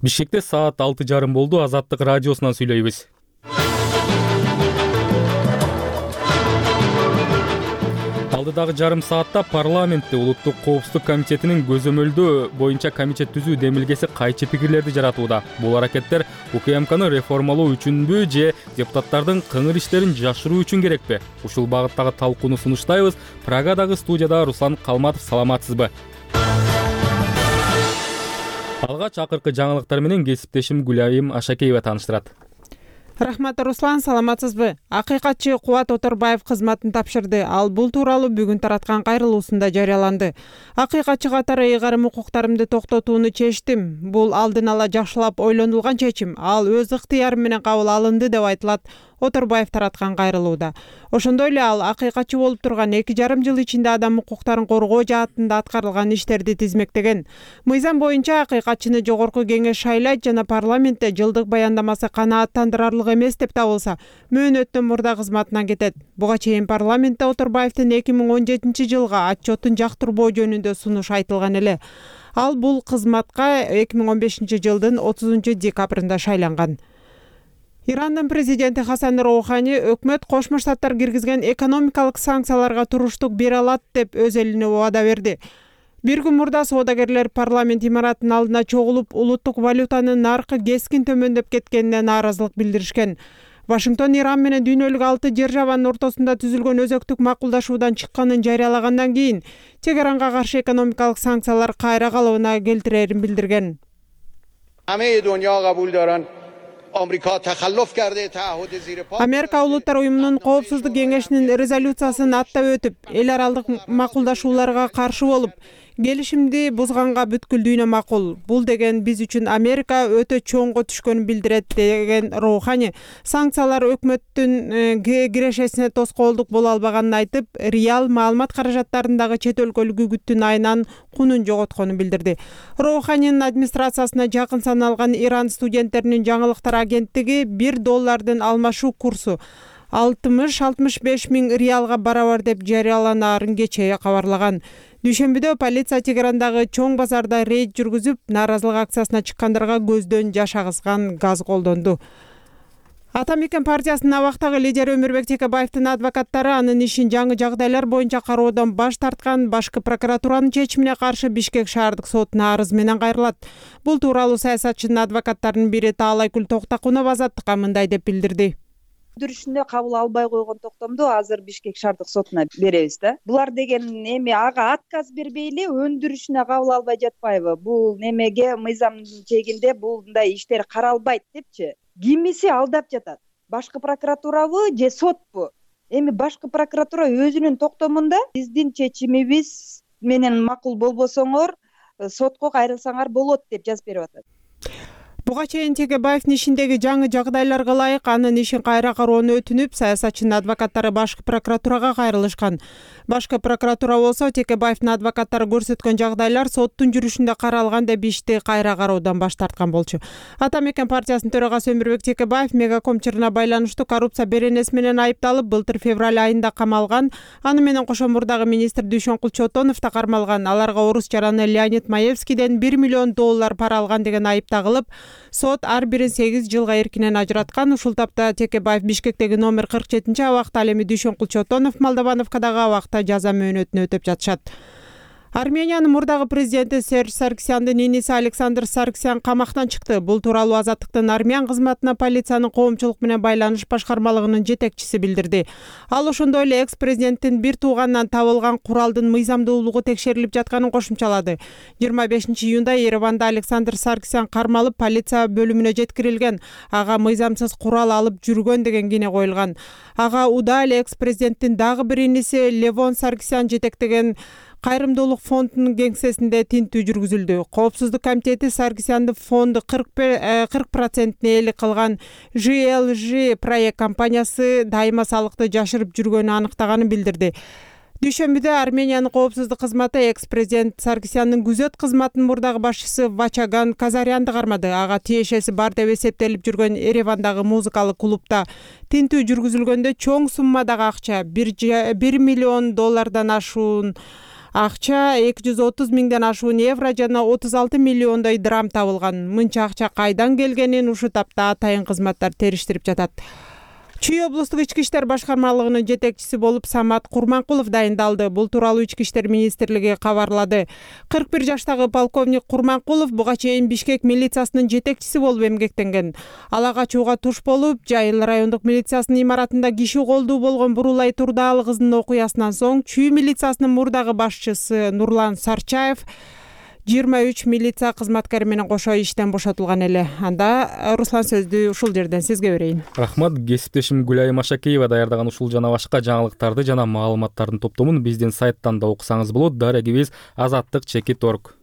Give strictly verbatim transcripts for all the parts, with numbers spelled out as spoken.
Бишкекте саат алты жарым болду. Азаттык радиосунан сүйлөйбүз. Алдыдагы жарым саатта парламентте Улуттук коопсуздук комитетинин көзөмөлдөө боюнча комитет түзүү демилгеси кайчы пикирлерди жаратууда. Бул аракеттер УКМКны реформалоо үчүнбү же депутаттардын кыңыр иштерин жашыруу үчүн керекпи? Ушул багыттагы талкууну сунуштайбыз. Прагадагы студияда Руслан Калматов. Саламатсызбы? Алгач акыркы жаңылыктар менен кесиптешим Гүлайым Ашакеева тааныштырат. Рахмат, Руслан, саламатсызбы? Акыйкатчы Кубат Оторбаев кызматын тапшырды. Ал бул тууралуу бүгүн тараткан кайрылуусунда жарыяланды. Акыйкатчы катары ыйгарым укуктарымды токтотууну чечтим. Бул алдын ала жакшылап ойлонулган чечим. Ал өз ыктыяры менен кабыл алынды деп айтылат Оторбаев тараткан кайрылууда. Ошондой эле ал акыйкатчы болуп турган эки жарым жыл ичинде адам укуктарын коргоо жаатында аткарылган иштерди тизмектеген. Мыйзам боюнча акыйкатчыны жогорку кеңеш шайлайт жана парламентте жылдык баяндамасы канааттандырарлык эмес деп табылса, мөөнөттөн мурда кызматынан кетет. Буга чейин парламентте Оторбаевдин эки миң он жетинчи жылга отчетун жактырбоо жөнүндө сунуш айтылган эле. Ал бул кызматка эки миң он бешинчи жылдын отузунчу декабрында шайланган. Ирандын президенти Хасан Роухани өкмөт Кошмо Штаттар киргизген экономикалык санкцияларга туруштук бере алат деп өз элине убада берди. Бир күн мурда соодагерлер парламент имаратынын алдына чогулуп, улуттук валютанын наркы кескин төмөндөп кеткенине нааразылык билдиришкен. Вашингтон Иран менен дүйнөлүк алты державанын ортосунда түзүлгөн өзөктүк макулдашуудан чыкканын жарыялагандан кийин Тегеранга каршы экономикалык санкциялар кайра калыбына келтирерин билдирген. Америка Улуттар уюмунун коопсуздук кеңешинин резолюциясын аттап өтүп, эл аралык макулдашууларга каршы болуп, келишимди бузганга бүткүлдүүнө макул. Бул деген биз үчүн Америка өтө чоңго түшкөнүн билдирет деген Роухани, санкциялар өкмөттүн кирешесине тоскоолдук боло албаганын айтып, реал маалымат каражаттарындагы чет өлкөлүк үгүттүн айынан кунун жоготконун билдирди. Роуханинин администрациясына жакын саналган Иран студенттеринин жаңылыктар агенттиги бир доллардын алмашуу курсу алтымыш алтымыш беш миң реалга барабар деп жарыяланаарын кечээ кабарлаган. Дүйшөмбүдө полиция Тегерандагы чоң базарда рейд жүргүзүп, нааразылык акциясына чыккандарга көздөн жаш агызган газ колдонду. Ата Мекен партиясынын абактагы лидери Өмүрбек Текебаевдин адвокаттары анын ишин жаңы жагдайлар боюнча кароодон баш тарткан башкы прокуратуранын чечимине каршы Бишкек шаардык сотуна арыз менен кайрылат. Бул тууралуу саясатчынын адвокаттарынын бири Таалайкүл Токтакунов Азаттыкка мындай деп билдирди. Өндүрүшүндө кабыл албай койгон токтомду азыр Бишкек шаардык сотуна беребиз да. Булар деген эми ага отказ бербей эле өндүрүшүнө кабыл албай жатпайбы? Бул немеге мыйзамдын чегинде булдай иштер каралбайт депчи. Кимиси алдап жатат? Башкы прокуратурабы же сотпу? Эми башкы прокуратура өзүнүн токтомунда биздин чечимибиз менен макул болбосоңор сотко кайрылсаңар болот деп жазып берип атат. Буга чейин Текебаевдин ишиндеги жаңы жагдайларга ылайык анын ишин кайра кароону өтүнүп, саясатчынын адвокаттары башкы прокуратурага кайрылышкан. Башкы прокуратура болсо Текебаевдин адвокаттары көрсөткөн жагдайлар соттун жүрүшүндө каралган деп ишти кайра кароодан баш тарткан болчу. Ата Мекен партиясынын төрагасы Өмүрбек Текебаев Мегаком чырына байланыштуу коррупция беренеси менен айыпталып, былтыр февраль айында камалган. Аны менен кошо мурдагы министр Дүйшөнкул Чотонов да кармалган. Аларга орус жараны Леонид Маевскийден бир миллион доллар пара алган деген айып тагылып, сот ар бирин сегиз жылга эркинен ажыраткан. Ушул тапта Текебаев Бишкектеги номер кырк жетинчи абакта, ал эми Дүйшөнкул Чотонов Молдовановкадагы абакта жаза мөөнөтүнө өтөп жатышат. Армениянын мурдагы президенти Серж Саркисяндын иниси Александр Саркисян камактан чыкты. Бул тууралуу Азаттыктын армян кызматына полициянын коомчулук менен байланыш башкармалыгынын жетекчиси билдирди. Ал ошондой эле экс-президенттин бир тууганынан табылган куралдын мыйзамдуулугу текшерилип жатканын кошумчалады. жыйырма бешинчи июнда Ереванда Александр Саркисян кармалып, полиция бөлүмүнө жеткирилген. Ага мыйзамсыз курал алып жүргөн деген кине коюлган. Ага уда эле экс-президенттин дагы бир иниси Левон Саркисян жетектеген Кайрымдуулук фондунун кеңсесинде тинтүү жүргүзүлдү. Коопсуздук комитети Саркисяндын фонду кырк процентин ээлик кылган жи эл жи проект компаниясы дайыма салыкты жашырып жүргөнүн аныктаганын билдирди. Дүйшөмбүдө Армениянын коопсуздук кызматы экс-президент Саркисяндын күзөт кызматынын мурдагы башчысы Вачаган Казарянды кармады. Ага тиешеси бар деп эсептелип жүргөн Еревандагы музыкалык клубда тинтүү жүргүзүлгөндө чоң суммадагы акча бир миллион доллардан ашуун Акча эки жүз отуз миңден ашуун евро жана отуз алты миллиондой драм табылган. Мынча акча кайдан келгенин ушу тапта атайын кызматтар териштирип жатат. Чүй облустук ички иштер башкармалыгынын жетекчиси болуп Самат Курманкулов дайындалды. Бул тууралуу ички иштер министрлиги кабарлады. кырк бир жаштагы полковник Курманкулов буга чейин Бишкек милициясынын жетекчиси болуп эмгектенген. Ала качууга туш болуп, Жайыл райондук милициясынын имаратында киши колдуу болгон Бурулай Турдаалы кызынын окуясынан соң Чүй милициясынын мурдагы башчысы Нурлан Сарчаев жыйырма үч милиция кызматкери менен кошо иштен бошотулган эле. Анда Руслан сөздү ушул жерден сизге берейин. Рахмат. Кесиптешим Гүлайым Ашакеева даярдаган ушул жана башка жаңылыктарды жана маалыматтардын топтомун биздин сайттан да окусаңыз болот. Дарегибиз азаттык чекит орг.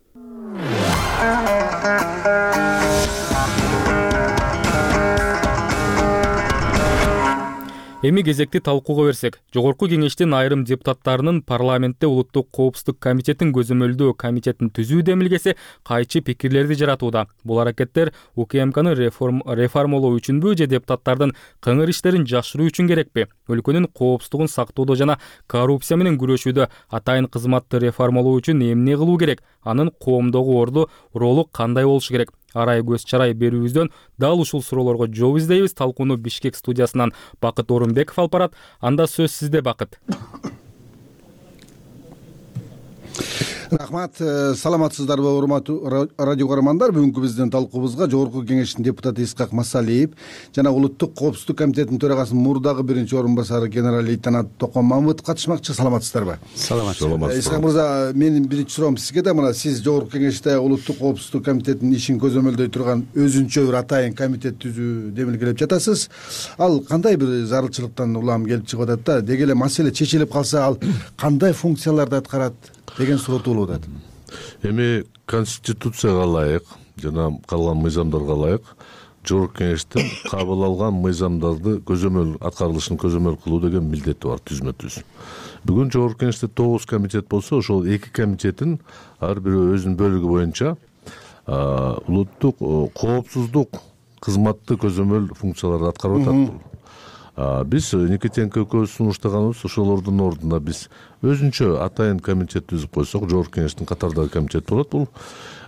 Эми кезекти талкууга берсек, жогорку кеңештин айрым депутаттарынын парламентте улуттук коопсуздук комитетин көзөмөлдөө комитетин түзүү демилгеси кайчы пикирлерди жаратууда. Бул аракеттер УКМКны реформ, реформалоо үчүнбү же депутаттардын кыңыр иштерин жашыруу үчүн керекпи? Өлкөнүн коопсуздугун сактоодо жана коррупция менен күрөшүүдө атайын кызматты реформалоо үчүн эмне кылуу керек? Анын коомдогу орду ролу кандай болушу керек? Арай көз чарай берүүбүздөн дал ушул суроолорго жооп издейбиз. Талкууну Бишкек студиясынан Бакыт Орунбеков алып барат. Анда сөз сизде, Бакыт. Рахмат. Саламатсыздарбы, урматтуу радио көрөрмандар? Бүгүнкү биздин талкуубузга жогорку кеңештин депутаты Исхак Масалиев жана улуттук коопсуздук комитетинин төрагасынын мурдагы биринчи орун басары генерал-лейтенант Токон Мамытов катышмакчы. Саламатсыздарбы? Саламатсыздар. Исхак мырза, менин биринчи суроом сизге да. Мына сиз жогорку кеңеште улуттук коопсуздук комитетинин ишин көзөмөлдөй турган өзүнчө бир атайын комитет түзүү демилгелеп жатасыз. Ал кандай бир зарылчылыктан улам келип чыгып атат да? Деги эле маселе чечилип калса, ал кандай функцияларды аткарат деген суроо туулуп атат. Эми конституцияга ылайык жана калган мыйзамдарга ылайык жогорку кеңештин кабыл алган мыйзамдарды көзөмөл аткарылышын көзөмөл кылуу деген милдети бар, түзмө түз. Бүгүн жогорку кеңеште тогуз комитет болсо, ошол эки комитеттин ар бирөө өзүнүн бөлүгү боюнча улуттук коопсуздук кызматты көзөмөл функцияларды аткарып атат. Биз Никитенко экөөбүз сунуштаганыбыз ошолордун ордуна биз өзүнчө атайын комитет түзүп койсок, жогорку кеңештин катардагы комитет болот. Бул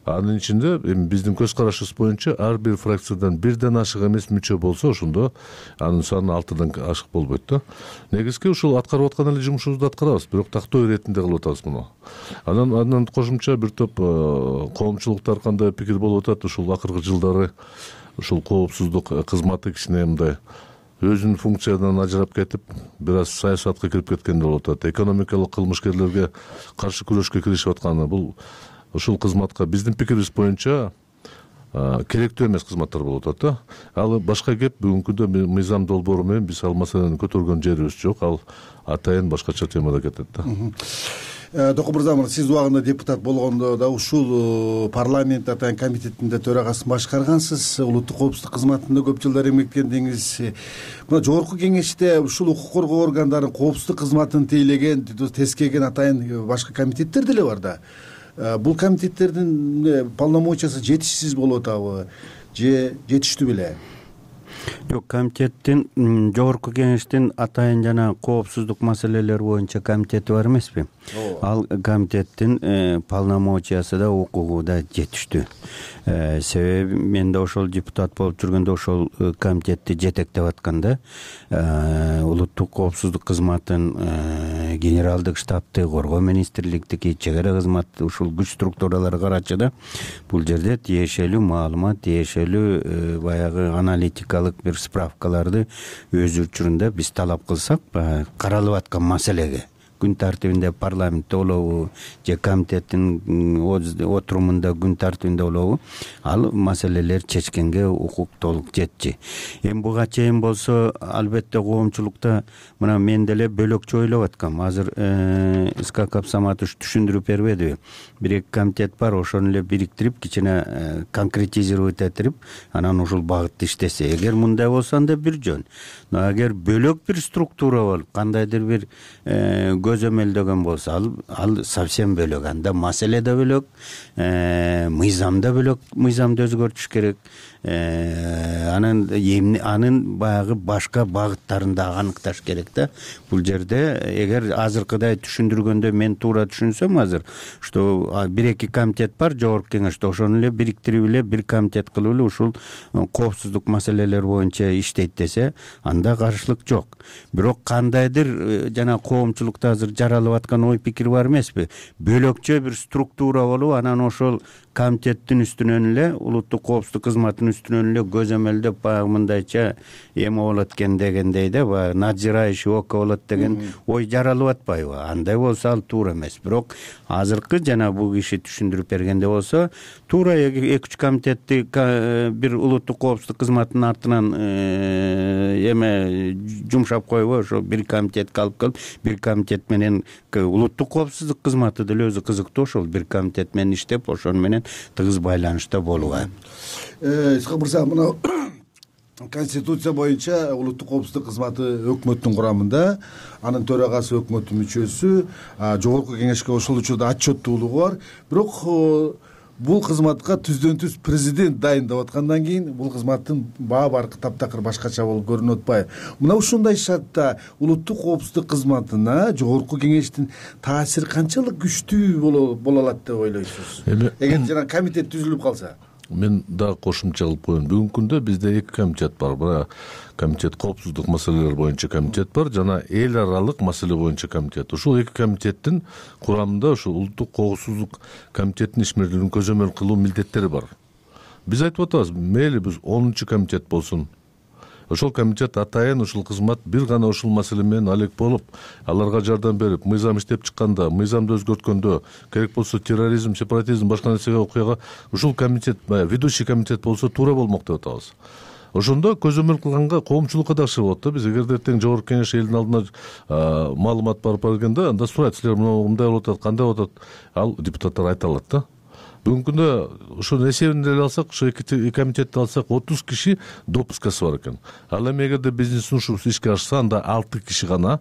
анын ичинде эми биздин көз карашыбыз боюнча ар бир фракциядан бирден ашык эмес мүчө болсо, ошондо анын саны алтыдан ашык болбойт да. Негизги ушул аткарып аткан эле жумушубузду аткарабыз, бирок тактоо иретинде кылып атабыз муну. Анан андан кошумча бир топ коомчулуктар кандай пикир болуп атат, ушул акыркы жылдары ушул коопсуздук кызматы кичине мындай өзүнүн функциядан ажырап кетип, бир аз саясатка кирип кеткендей болуп атат. Экономикалык кылмышкерлерге каршы күрөшкө киришип атканы бул ушул кызматка биздин пикирибиз боюнча керектүү эмес кызматтар болуп атат да. Ал башка кеп, бүгүнкүдө мыйзам долбоору менен биз ал маселени көтөргөн жерибиз жок. Ал атайын башкача темада кетет да. Токон мырза, сиз убагында депутат болгондо да ушул парламент атайын комитетинде төрагасын башкаргансыз, улуттук коопсуздук кызматында көп жылдар эмгектендиңиз. Мына жогорку кеңеште ушул укук коргоо органдарынын коопсуздук кызматын тейлеген, тескеген атайын башка комитеттер деле бар да. Бул комитеттердин полномочиясы жетишсиз болуп атабы же жетиштүү беле? Жок, комитеттин жогорку кеңештин атайын жана коопсуздук маселелери боюнча комитети бар эмеспи? Ал комитеттин полномочиясы да укугу да жетиштүү. Себеби мен да ошол депутат болуп жүргөндө ошол комитетти жетектеп атканда улуттук коопсуздук кызматын, генералдык штабты, коргоо министрликтики, чек ара кызмат ушул күч структуралары карачы да бул жерде тиешелүү маалымат, тиешелүү баягы аналитикалык бир справкаларды өз учурунда биз талап кылсак, каралып аткан маселеге күн тартибинде парламентте болобу же комитеттин отурумунда күн тартибинде болобу, ал маселелер чечкенге укук толук жетчи. Эми буга чейин болсо, албетте коомчулукта мына мен деле бөлөкчө ойлоп аткам. Азыр Исхак Абсаматович түшүндүрүп бербедиби? Бир эки комитет бар, ошону эле бириктирип, кичине конкретизировать этирип, анан ушул багытта иштесе. Эгер мындай болсо анда бир жөн. Но эгер бөлөк бир структура болуп, кандайдыр бир көзөмөлдөгөн болсо ал ал совсем бөлөк, анда маселе да бөлөк, мыйзам да бөлөк, мыйзамды өзгөртүш керек, анын анын баягы башка багыттарын да аныкташ керек да. Бул жерде эгер азыркыдай түшүндүргөндө мен туура түшүнсөм, азыр что бир эки комитет бар жогорку кеңеште, ошону эле бириктирип эле бир комитет кылып эле ушул коопсуздук маселелери боюнча иштейт десе, анда каршылык жок. Бирок кандайдыр жана коомчулукта азыр жаралып аткан ой пикир бар эмеспи, бөлөкчө бир структура болуп, анан ошол комитеттин үстүнөн эле, улуттук коопсуздук кызматынын үстүнөн эле көзөмөлдөп баягы мындайча эме болот экен дегендей да, баягы надзирающий око болот деген ой жаралып атпайбы? Андай болсо ал туура эмес. Бирок азыркы жана бул киши түшүндүрүп бергенде болсо, туура эки үч комитетти бир улуттук коопсуздук кызматынын артынан эме жумшап койбой, ошо бир комитетке алып келип, бир комитет менен улуттук коопсуздук кызматы деле өзү кызыктуу, ошол бир комитет менен иштеп, ошону менен тыгыз байланышта болуга. Исхак мырза, мына Конституция боюнча улуттук коопсуздук кызматы өкмөттүн курамында, анын төрагасы өкмөттүн мүчөсү, жогорку кеңешке ошол учурда отчеттуулугу бар. Бирок бул кызматка түздөн түз президент дайындап аткандан кийин бул кызматтын баа баркы таптакыр башкача болуп көрүнүп атпайбы? Мына ушундай шартта улуттук коопсуздук кызматына жогорку кеңештин таасири канчалык күчтүү боло алат деп ойлойсуз? Эгер жана комитет түзүлүп калса? Мен дагы кошумча кылып коеюн. Бүгүнкү күндө бизде эки комитет бар. Бирок комитет коопсуздук маселелери боюнча комитет бар, жана эл аралык маселе боюнча комитет. Ушул эки комитеттин курамында ушул улуттук коопсуздук комитетинин ишмердүүлүгүн көзөмөл кылуу милдеттери бар. Биз айтып атабыз, мейли биз онунчу комитет болсун. Ошол комитет атайын ушул кызмат бир гана ушул маселе менен алек болуп, аларга жардам берип, мыйзам иштеп чыкканда, мыйзамды өзгөрткөндө, керек болсо терроризм, сепаратизм, башка нерсеге окуяга ушул комитет, ведущий комитет болсо туура болмок деп атабыз. Ошондо көзөмөл кылганга коомчулукка да акча болот да. Биз эгерде эртең жогорку кеңеш элдин алдына маалымат барып бергенде, анда сурайт, силер мындай болуп атат, кандай болуп атат, ал депутаттар айта алат да. Бүгүнкү күндө ошонун эсебин деле алсак, ошо эки комитетти алсак, отуз киши допускасы бар экен. Ал эми эгерде биздин сунушубуз ишке ашса, анда алты киши гана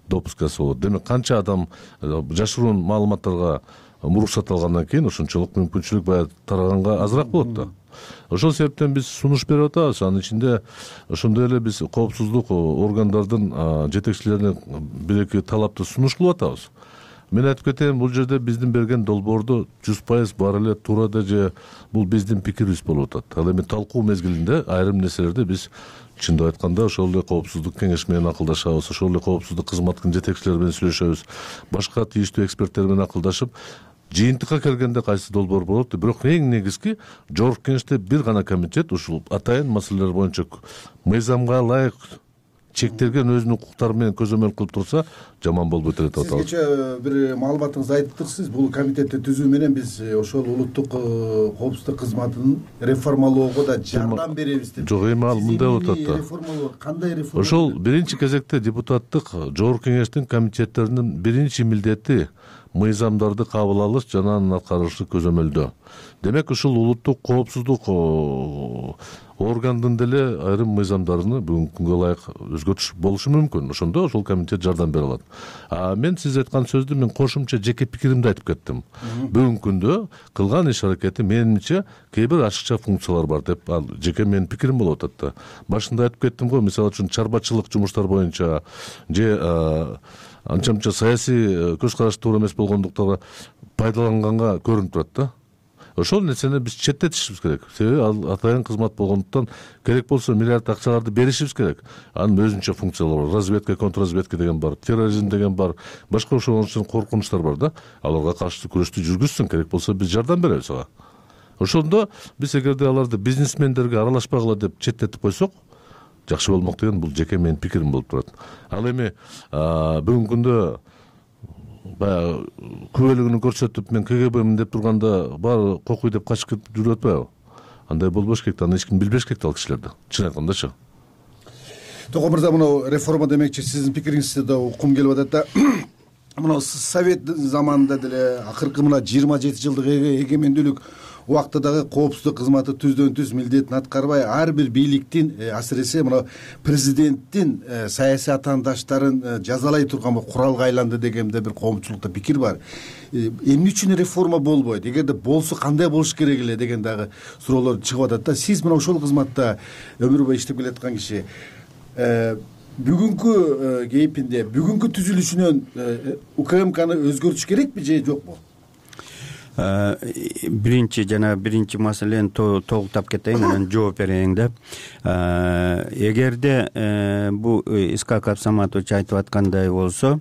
допускасы болот. Демек канча адам жашыруун маалыматтарга муруксат алгандан кийин ошончолук мүмкүнчүлүк баягы тараганга азыраак болот да. Ошол себептен биз сунуш берип атабыз. Анын ичинде ошондой эле биз коопсуздук органдардын жетекчилерине бир эки талапты сунуш кылып атабыз. Мен айтып кетейин, бул жерде биздин берген долбоордо жүз пайыз бар эле туура да же бул биздин пикирибиз болуп атат. Ал эми талкуу мезгилинде айрым нерселерди биз чындап айтканда ошол эле коопсуздук кеңеш менен акылдашабыз, ошол эле коопсуздук кызматтын жетекчилери менен сүйлөшөбүз, башка тийиштүү эксперттер менен акылдашып, жыйынтыкка келгенде кайсы долбоор болот. Бирок эң негизги жогорку кеңеште бир гана комитет ушул атайын маселелер боюнча мыйзамга ылайык чектелген өзүнүн укуктары менен көзөмөл кылып турса, жаман болбойт деп атабыз. Сизгече бир маалыматыңызды айттыңыз, бул комитетти түзүү менен биз ошол улуттук коопсуздук кызматын реформалоого да жардам беребиз деп. Жок, эми ал мындай болуп атат да. Реформалоо кандай реформа? Ошол биринчи кезекте депутаттык жогорку кеңештин комитеттеринин биринчи милдети мыйзамдарды кабыл алыш жана анын аткарылышы көзөмөлдөө. Демек ушул улуттук коопсуздук органдын деле айрым мыйзамдарын бүгүнкү күнгө ылайык өзгөртүш болушу мүмкүн. Ошондо ошол комитет жардам бере алат. А мен сиз айткан сөздү мен кошумча жеке пикиримди айтып кеттим. Бүгүнкү күндө кылган иш аракети менимче кээ бир ашыкча функциялар бар деп, ал жеке менин пикирим болуп атат да. Башында айтып кеттим го, мисалы үчүн чарбачылык жумуштар боюнча же анча-мынча саясий көз караш туура эмес болгондуктан пайдаланганга көрүнүп турат да. Ошол нерсени биз четтетишибиз керек. Себеби ал атайын кызмат болгондуктан керек болсо миллиард акчаларды беришибиз керек. Анын өзүнчө функциялары бар. Разведка, контрразведка деген бар, терроризм деген бар, башка ошол коркунучтар бар да. Аларга каршы күрөштү жүргүзсүн, керек болсо биз жардам беребиз ага. Ошондо биз эгерде аларды бизнесмендерге аралашпагыла деп четтетип койсок, жакшы болмок деген бул жеке менин пикирим болуп турат. Ал эми бүгүнкү күндө баягы күбөлүгүн көрсөтүп мен КГБмин деп турганда баары кокуй деп качып кетип жүрүп атпайбы? Андай болбош керек да, аны эч ким билбеш керек да ал кишилерди. Чын айткандачы. Токон мырза, мына реформа демекчи сиздин пикириңизди да уккум келип атат да. Мына совет заманында деле акыркы мына жыйырма жети жылдык эгемендүүлүк убакта дагы коопсуздук кызматы түздөн түз милдетин аткарбай ар бир бийликтин асиресе мына президенттин саясий атаандаштарын жазалай турган куралга айланды деген да бир коомчулукта пикир бар. Эмне үчүн реформа болбойт, эгерде болсо кандай болуш керек эле деген дагы суроолор чыгып атат да. Сиз мына ошол кызматта өмүр бою иштеп келаткан киши бүгүнкү кейпинде бүгүнкү түзүлүшүнөн УКМКны өзгөртүш керекпи же жокпу? Биринчи жана биринчи маселени тогуктап кетейин, анан жооп берейин да. Эгерде бу Искак Абсаматович айтып аткандай болсо,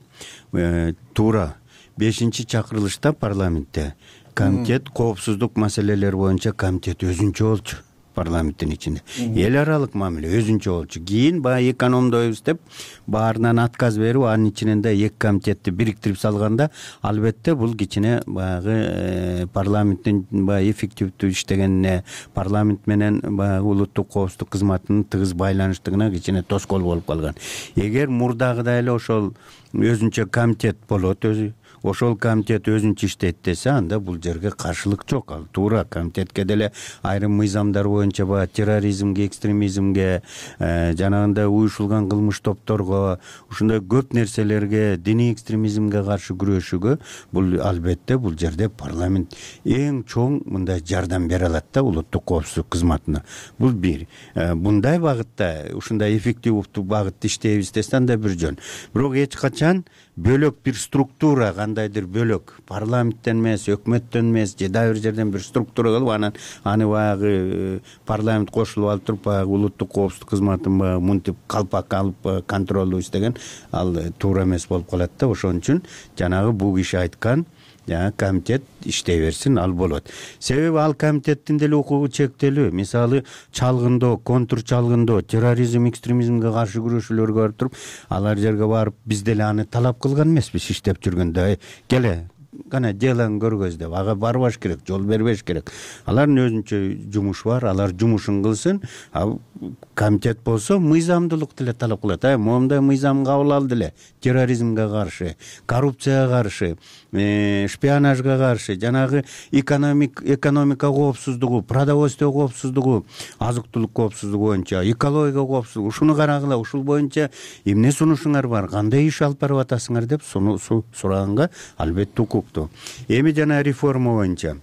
туура бешинчи чакырылышта парламентте комитет коопсуздук маселелери боюнча комитет өзүнчө болчу. Парламенттин ичинде эл аралык мамиле өзүнчө болчу. Кийин баягы экономдойбуз деп баарынан отказ берип, анын ичинен да эки комитетти бириктирип салганда, албетте бул кичине баягы парламенттин баягы эффективдүү иштегенине, парламент менен баягы улуттук коопсуздук кызматынын тыгыз байланыштыгына кичине тоскоол болуп калган. Эгер мурдагыдай эле ошол өзүнчө комитет болот, өзү ошол комитет өзүнчө иштейт десе, анда бул жерге каршылык жок. Ал туура комитетке деле айрым мыйзамдар боюнча баягы терроризмге, экстремизмге, жанагындай уюшулган кылмыш топторго, ушундай көп нерселерге, диний экстремизмге каршы күрөшүүгө бул албетте бул жерде парламент эң чоң мындай жардам бере алат да улуттук коопсуздук кызматына. Бул бир. Мындай багытта, ушундай эффективдүү багытта иштейбиз десе анда бир жөн. Бирок эч качан бөлөк бир структура, кандайдыр бөлөк парламенттен эмес, өкмөттөн эмес, же дагы бир жерден бир структура кылып, анан аны баягы парламент кошулуп алып туруп, баягы улуттук коопсуздук кызматын баягы мынтип калпак алып контролдуу иштеген, ал туура эмес болуп калат да. Ошон үчүн жанагы бул киши айткан жаңа комитет иштей берсин, ал болот. Себеби ал комитеттин деле укугу чектелүү. Мисалы, чалгындоо, контур чалгындоо, терроризм, экстремизмге каршы күрөшүүлөргө барып туруп, алар жерге барып биз деле аны талап кылган эмеспиз иштеп жүргөндө. Келе кана делаң көргөз деп ага барбаш керек, жол бербеш керек. Алардын өзүнчө жумушу бар, алар жумушун кылсын. Комитет болсо мыйзамдуулук деле талап кылат. Ай, момундай мыйзам кабыл алды эле. Терроризмге каршы, коррупцияга каршы, шпионажга каршы, жанагы экономик экономика коопсуздугу, продовольствие коопсуздугу, азык-түлүк коопсуздугу боюнча, экология коопсуздугу, ушуну карагыла, ушул боюнча эмне сунушуңар бар, кандай иш алып барып атасыңар деп суну сураганга албетте укуктуу. Эми жана реформа боюнча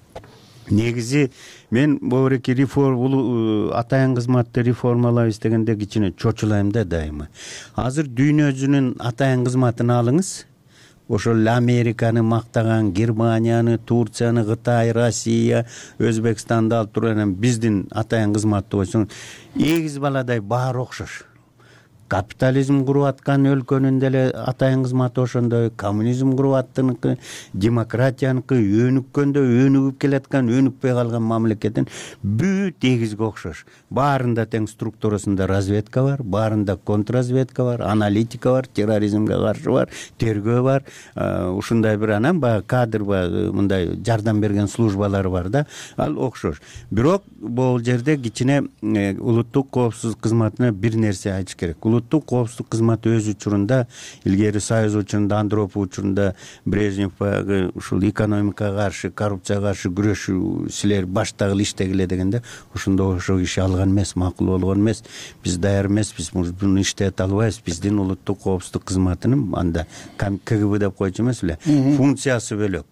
негизи мен бобуреки реформа атайын кызматты реформалайбыз дегенде кичине чочулайм да дайыма. Азыр дүйнөзүнүн атайын кызматын алыңыз. Ошол Американы мактаган, Германияны, Турцияны, Кытай, Россия, Өзбекстанды алып туруп, анан биздин атайын кызматты койсоң, эгиз баладай баары окшош. Капитализм куруп аткан өлкөнүн деле атайын кызматы ошондой, коммунизм куруп аттыныкы, демократияныкы, өнүккөндө өнүгүп келаткан, өнүкпөй калган мамлекеттин бүт эгизге окшош. Баарында тең структурасында разведка бар, баарында контрразведка бар, аналитика бар, терроризмге каршы бар, тергөө бар. Ушундай бир анан баягы кадр мындай жардам берген службалар бар да, ал окшош. Бирок бул жерде кичине улуттук коопсуздук кызматына бир нерсе айтыш керек. Улуттук коопсуздук кызматы өз учурунда, илгери Союз учурунда, Андропов учурунда Брежнев баягы ушул экономикага каршы, коррупцияга каршы күрөшүү силер баштагы иштегиле дегенде, ошондо ошо киши алган эмес, макул болгон эмес. Биз даяр эмеспиз, буну иштете албайбыз. Биздин улуттук коопсуздук кызматынын анда КГБ деп койчу эмес эле, функциясы бөлөк.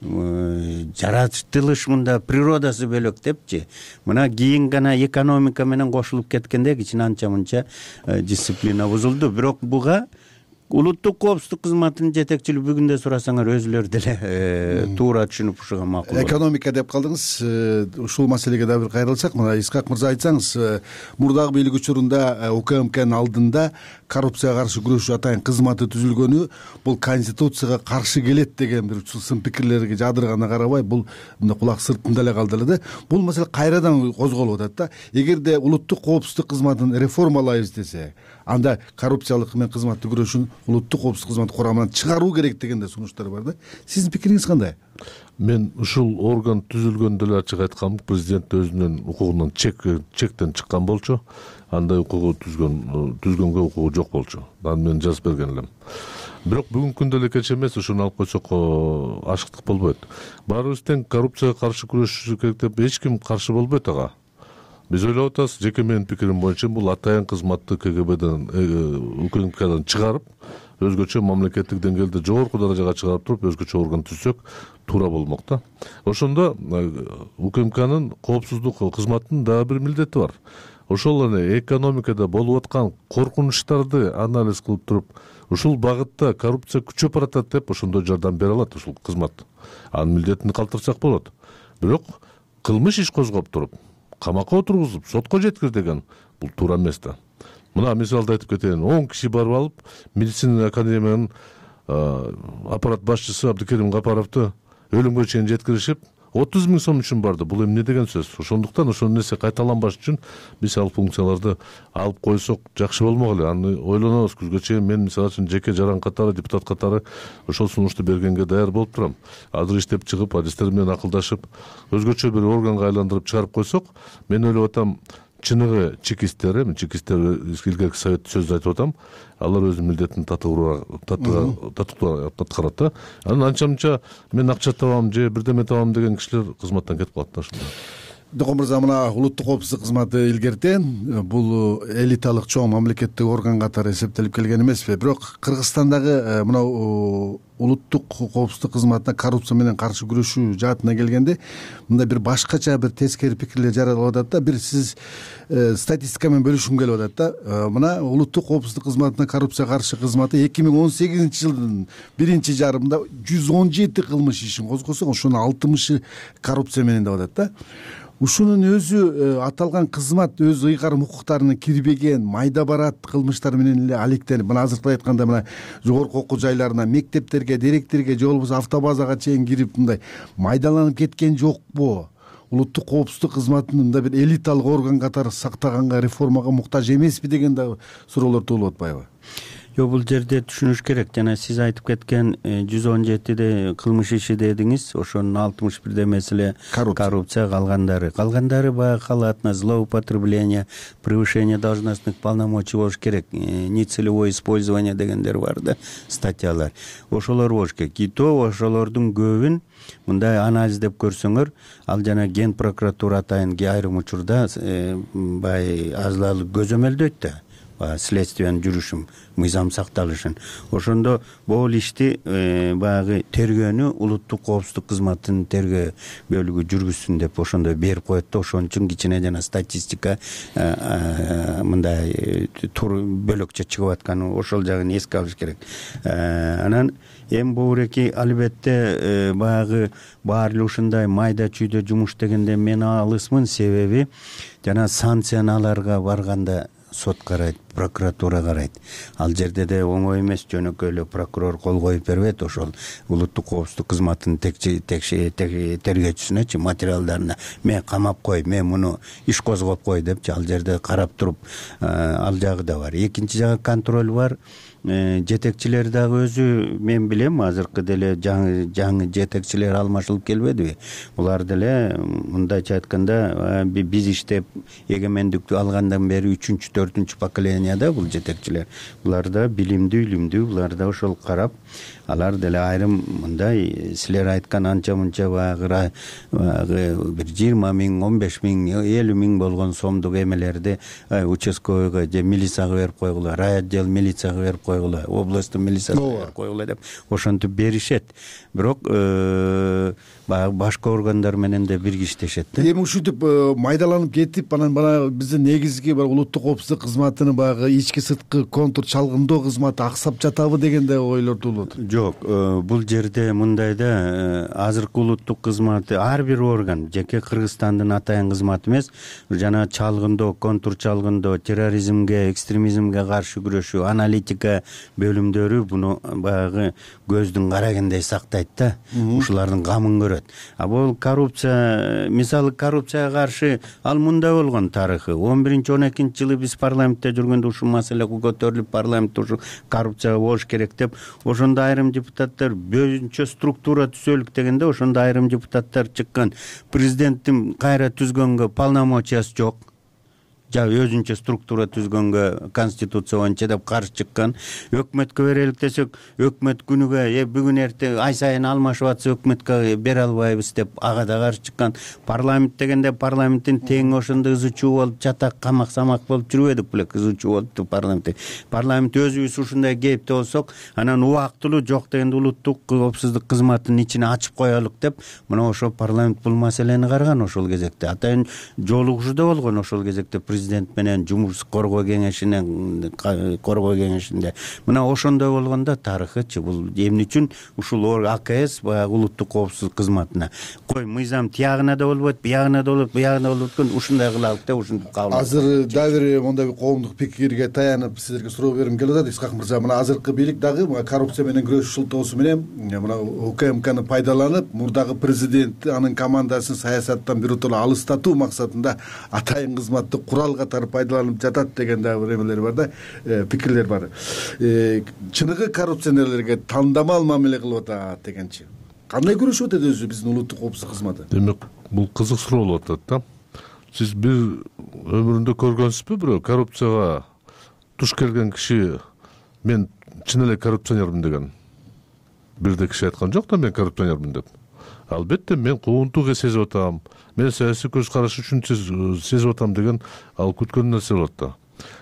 Жаратылыш мында природасы бөлөк депчи. Мына кийин гана экономика менен кошулуп кеткенде кичине анча мынча дисциплина бузулду. Бирок буга улуттук коопсуздук кызматынын жетекчилиги бүгүндө сурасаңар өзүлөрү деле туура түшүнүп ушуга макул. Экономика деп калдыңыз. Ушул маселеге да бир кайрылсак, мына Искак мырза айтсаңыз, мурдагы бийлик учурунда УКМКнын алдында коррупцияга каршы күрөшүү атайын кызматы түзүлгөнү бул конституцияга каршы келет деген бир сын пикирлерге жадырганына карабай, бул мындай кулак сыртында эле калды эле да. Бул маселе кайрадан козголуп атат да. Эгерде улуттук коопсуздук кызматын реформалайбыз десе, анда коррупциялык менен кызматты күрөшүүнү улуттук коопсуздук кызматы курамынан чыгаруу керек деген да сунуштар бар да. Сиздин пикириңиз кандай? Мен ушул орган түзүлгөндө эле ачык айткам, президент өзүнүн укугунан чектен чыккан болчу. Андай укугу түзгөн түзгөнгө укугу жок болчу. Аны мен жазып берген элем. бирок бүгүнкү күндө эле кеч эмес, ушуну алып койсок ашыктык болбойт. Баарыбыз тең коррупцияга каршы күрөшүш керек деп эч ким каршы болбойт ага. Биз ойлоп атабыз, жеке менин пикирим боюнча бул атайын кызматты КГБден, УКМКдан чыгарып, өзгөчө мамлекеттик деңгээлде жогорку даражага чыгарып туруп, өзгөчө орган түзсөк туура болмок да. Ошондо УКМКнын коопсуздук кызматынын дагы бир милдети бар. Ошол эле экономикада болуп аткан коркунучтарды анализ кылып туруп, ушул багытта коррупция күчөп баратат деп ошондой жардам бере алат ушул кызмат. Анын милдетин калтырсак болот. Бирок кылмыш иш козгоп туруп, камакка отургузуп, сотко жеткир деген бул туура эмес да. Мына мисалды айтып кетейин. он киши барып алып, медицина академиянын аппарат башчысы Абдыкерим Капаровду өлүмгө чейин жеткиришип, отуз миң сом үчүн барды. Бул эмне деген сөз? Ошондуктан ошол нерсе кайталанбаш үчүн биз ал функцияларды алып койсок жакшы болмок эле. Аны ойлонобуз. Күзгө чейин мен мисалы үчүн жеке жаран катары, депутат катары ошол сунушту бергенге даяр болуп турам. Азыр иштеп чыгып, адистер менен акылдашып, өзгөчө бир органга айландырып чыгарып койсок, мен ойлоп атам, чыныгы чекисттер, эми чекисттер илгерки совет сөз айтып атам, алар өзүнүн милдетин татыгууга татыктуу аткарат да. Анан анча мынча мен акча табам же бирдеме табам деген кишилер кызматтан кетип калат да. Ошондо Докон мырза, мына улуттук коопсуздук кызматы илгертен бул элиталык чоң мамлекеттик орган катары эсептелип келген эмеспи? Бирок Кыргызстандагы мына улуттук коопсуздук кызматына коррупция менен каршы күрөшүү жаатына келгенде мындай бир башкача бир тескери пикирлер жаралып атат да. Бир сиз статистика менен бөлүшкүм келип атат да. Мына улуттук коопсуздук кызматына коррупцияга каршы кызматы эки миң он сегизинчи жылдын биринчи жарымында жүз он жети кылмыш ишин козгосо, ошонун алтымышы коррупция менен деп атат да. Ушунун өзү аталган кызмат өз ыйгарым укуктарына кирбеген майда барат кылмыштар менен эле алектенип, мына азыркы айтканда мына жогорку окуу жайларына, мектептерге, деректерге же болбосо автобазага чейин кирип мындай майдаланып кеткен жокпу? Улуттук коопсуздук кызматын мындай бир элиталык орган катары сактаганга, реформага муктаж эмеспи деген да суроолор туулуп атпайбы? Жок, бул жерде түшүнүш керек. Жана сиз айтып кеткен жүз он жетиде кылмыш иши дедиңиз, ошонун алтымыш бирдемеси эле коррупция, калгандары. Калгандары баягы халатность, злоупотребление, превышение должностных полномочий болуш керек. Нецелевое использование дегендер бар да, статьялар. Ошолор болуш керек. И то ошолордун көбүн мындай анализдеп көрсөңөр, ал жана Ген прокуратура атайын айрым учурда баягы азалык көзөмөлдөйт да. Следствиянын жүрүшүн, мыйзам сакталышын. Ошондо бул ишти баягы тергөөнү улуттук коопсуздук кызматынын тергөө бөлүгү жүргүзсүн деп ошондой берип коет да. Ошон үчүн кичине жана статистика мындай бөлөкчө чыгып атканы, ошол жагын эске алыш керек. Анан эми бууреки албетте баягы баары эле ушундай майда чүйдө жумуш дегенде мен алысмын, себеби жана санкцияларга барганда сот карайт, прокуратура карайт. Ал жерде де оңой эмес, жөнөкөй эле прокурор кол коюп бербейт ошол улуттук коопсуздук кызматынын тергөөчүсүнөчү материалдарына мен камап кой, мен муну иш козгоп кой депчи ал жерде карап туруп ал жагы да бар. Экинчи жагы контроль бар. Жетекчилер дагы өзү мен билем, азыркы деле жаңы жаңы жетекчилер алмашылып келбедиби? Булар деле мындайча айтканда биз иштеп эгемендикти алгандан бери үчүнчү, төртүнчү поколенияда бул жетекчилер. Булар да билимдүү, илимдүү, булар да ошол карап, алар деле айрым мындай силер айткан анча мынча баягы бир жыйырма миң, он беш миң, элүү миң болгон сомдук эмелерди участковыйга же милицияга берип койгула, райотдел милицияга берип койгула, областтын милициясына берип койгула деп ошентип беришет. Бирок баягы башка органдар менен да бирге иштешет да. Эми ушинтип майдаланып кетип, анан бана биздин негизги улуттук коопсуздук кызматынын баягы ички сырткы контур чалгындоо кызматы аксап жатабы деген да ойлор туулуп атат. Жок, бул жерде мындай да, азыркы улуттук кызматы ар бир орган жеке Кыргызстандын атайын кызматы эмес, жана чалгындоо, контур чалгындоо, терроризмге, экстремизмге каршы күрөшүү, аналитика бөлүмдөрү буну баягы көздүн карагендей сактайт да, ушулардын камын көрөт. А бул коррупция, мисалы коррупцияга каршы ал мындай болгон тарыхы. он биринчи он экинчи жылы биз парламентте жүргөндө ушул маселе көтөрүлүп, парламентте ушу коррупция болуш керек деп, ошондо айрым депутаттар бөөнчө структура түзөлүк дегенде, ошондо айрым депутаттар чыккан. Президенттин кайра түзгөнгө полномочиясы жок. өзүнчө структура түзгөнгө конституция боюнча деп каршы чыккан. Өкмөткө берелик десек, өкмөт күнүгө э бүгүн эртең ай сайын алмашып атса өкмөткө бере албайбыз деп ага да каршы чыккан. Парламент дегенде парламенттин тең ошондой ызы чуу болуп жатак камак самак болуп жүрбөдүк беле, ызы чуу болупту парламент. Парламент өзүбүз ушундай кейипте болсок, анан убактылуу жок дегенде улуттук коопсуздук кызматынын ичине ачып коелук деп мына ошол парламент бул маселени караган ошол кезекте. Атайын жолугушуу да болгон ошол кезекте президент менен жумуш коргоо кеңешинин коргоо кеңешинде. Мына ошондой болгондо тарыхычы бул эмне үчүн ушул АКС баягы улуттук коопсуздук кызматына кой мыйзам тиягына да болбойт, биягына да болот, буягына да болот, ушундай кылалык деп ушинтип кабыл. Азыр дагы бир мондай бир коомдук пикирге таянып силерге суроо бергим келип атат. Исхак мырза, мына азыркы бийлик дагы коррупция менен күрөшүү шылтоосу менен мына УКМКны пайдаланып, мурдагы президентти, анын командасын саясаттан биротоло алыстатуу максатында атайын кызматты курал катары пайдаланып жатат деген дагы бир эмелер бар да, пикирлер бар. Чыныгы коррупционерлерге тандамал мамиле кылып атат дегенчи. Кандай күрөшүп атат өзү биздин улуттук коопсуздук кызматы? Демек, бул кызык суроо болуп атат да. Сиз бир өмүрүндө көргөнсүзбү бирөө коррупцияга туш келген киши мен чын эле коррупционермин деген? Бирде киши айткан жок да мен коррупционермин деп. Албетте мен куугунтук сезип атам, мен саясий көз караш үчүн сезип атам деген ал күткөн нерсе болот да.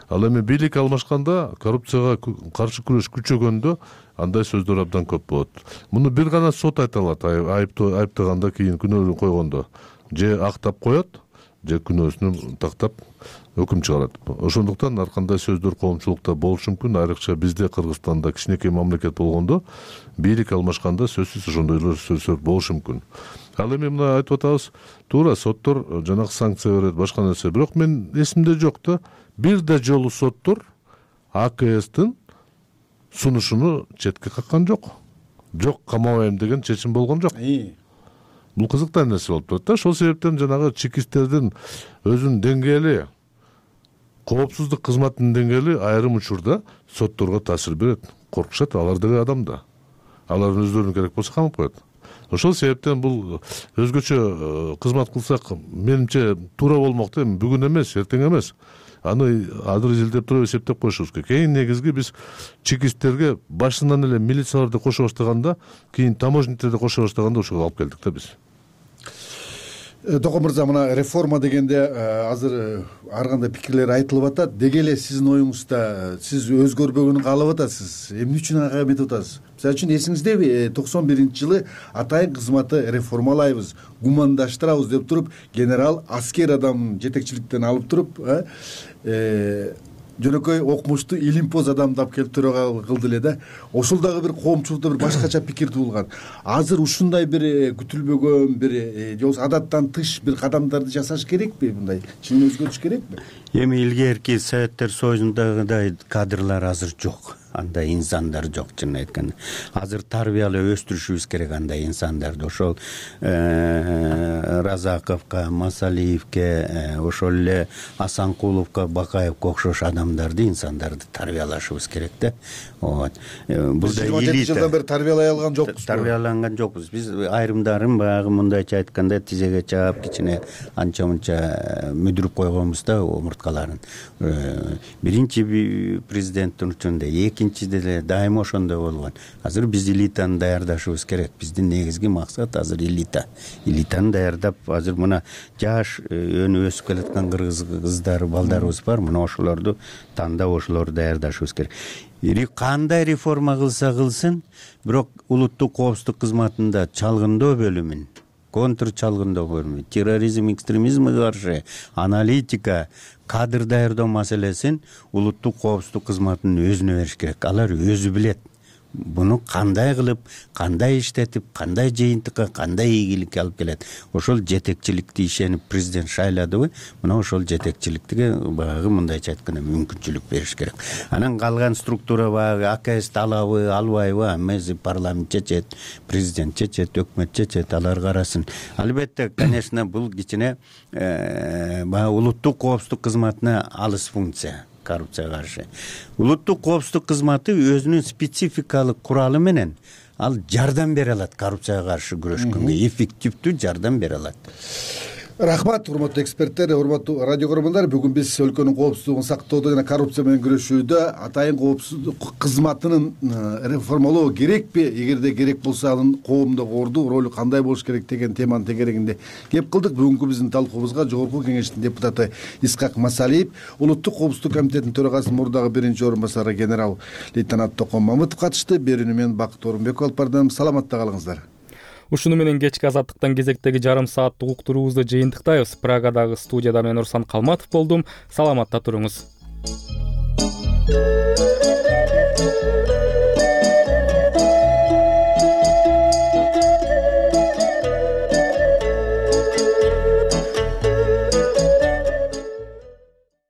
Ал эми бийлик алмашканда, коррупцияга каршы күрөш күчөгөндө андай сөздөр абдан көп болот. Муну бир гана сот айта алат, айыптаганда кийин күнөөнү койгондо. Же актап коет, же күнөөсүнү тактап өкүм чыгарат. Ошондуктан ар кандай сөздөр коомчулукта болушу мүмкүн, айрыкча бизде Кыргызстанда кичинекей мамлекет болгондо бийлик алмашканда сөзсүз ошондой сөздөр болушу мүмкүн. Ал эми мына айтып атабыз, туура соттор жанагы санкция берет, башка нерсе. Бирок мен эсимде жок да, бир да жолу соттор АКСтин сунушуну четке каккан жок. Жок, камабайм деген чечим болгон жок. Бул кызыктуу нерсе болуп турат да. Ошол себептен жанагы чекисттердин өзүнүн деңгээли, коопсуздук кызматынын деңгээли айрым учурда сотторго таасир берет. Коркушат, алар деген адам да. Алар өздөрүнө керек болсо камап коет. Ошол себептен бул өзгөчө кызмат кылсак, менимче туура болмок да, бүгүн эмес, эртең эмес. Аны азыр изилдеп туруп эсептеп коюшубуз керек. Эң негизги биз чекисттерге башынан эле милицияларды кошо баштаганда, кийин таможниктерди кошо баштаганда ошого алып келдик да биз. Токон мырза, мына реформа дегенде азыр ар кандай пикирлер айтылып атат. Деги эле сиздин оюңузда сиз өзгөрбөгөнүн каалап атасыз. Эмне үчүн ага эметип атасыз? Мисалы үчүн эсиңиздеби, токсон биринчи жылы атайын кызматты реформалайбыз, гумандаштырабыз деп туруп, генерал аскер адам жетекчиликтен алып туруп, жөнөкөй окумуштуу илимпоз адамды алып келип төрага кылды эле да. Ошол дагы бир коомчулукта бир башкача пикир туулган. Азыр ушундай бир күтүлбөгөн бир же болбосо адаттан тыш бир кадамдарды жасаш керекпи, мындай чын өзгөрүш керекпи? Эми илгерки Советтер Союзундагыдай кадрлар азыр жок. Андай инсандар жок, чын айтканда. Азыр тарбиялап өстүрүшүбүз керек андай инсандарды. Ошол Разаковго, Масалиевге, ошол эле Асанкуловго, Бакаевге окшош адамдарды, инсандарды тарбиялашыбыз керек да. Вот. Бул да жыйырма жети жылдан бери тарбиялай алган жокпуз. Тарбияланган жокпуз. Биз айрымдарын баягы мындайча айтканда тизеге чаап, кичине анча-мынча мүдүрүп койгонбуз да омурткаларын. Биринчи президенттин учурунда, экинчиде деле дайыма ошондой болгон. Азыр биз элитаны даярдашыбыз керек. Биздин негизги максат азыр элита. Элитаны даярдап, азыр мына жаш өнү өсүп келаткан кыргыз кыздар, балдарыбыз бар. Мына ошолорду тандап, ошолорду даярдашыбыз керек. Кандай реформа кылса кылсын, бирок улуттук коопсуздук кызматында чалгындоо бөлүмүн, контр чалгындоо бөлүмү, терроризм, экстремизмге каршы аналитика, кадр даярдоо маселесин улуттук коопсуздук кызматынын өзүнө бериш керек. Алар өзү билет. Буну кандай кылып, кандай иштетип, кандай жыйынтыкка, кандай ийгиликке алып келет. Ошол жетекчиликти ишенип президент шайладыбы, мына ошол жетекчиликке баягы мындайча айтканда мүмкүнчүлүк бериш керек. Анан калган структура баягы АКСти алабы, албайбы, эмеси парламент чечет, президент чечет, өкмөт чечет, алар карасын. Албетте, конечно, бул кичине баягы улуттук коопсуздук кызматына алыс функция. Коррупцияга каршы. Улуттук коопсуздук кызматы өзүнүн спецификалык куралы менен ал жардам бере алат коррупцияга каршы күрөшкөнгө, эффективдүү жардам бере алат. Рахмат, урматтуу эксперттер, урматтуу радио көрөрмандар. Бүгүн биз өлкөнүн коопсуздугун сактоодо жана коррупция менен күрөшүүдө атайын коопсуздук кызматынын реформалоо керекпи, эгерде керек болсо анын коомдогу орду, ролу кандай болуш керек деген теманын тегерегинде кеп кылдык. Бүгүнкү биздин талкуубузга Жогорку Кеңештин депутаты Исхак Масалиев, Улуттук коопсуздук комитетинин төрагасынын мурдагы биринчи орун басары генерал лейтенант Токон Мамытов катышты. Берүүнү мен Бакыт Орунбеков алып бардым. Саламатта калыңыздар. Ушуну менен кечки азаттыктан кезектеги жарым сааттык уктуруубузду жыйынтыктайбыз. Прагадагы студияда мен Урсан Калматов болдум. Саламатта туруңуз.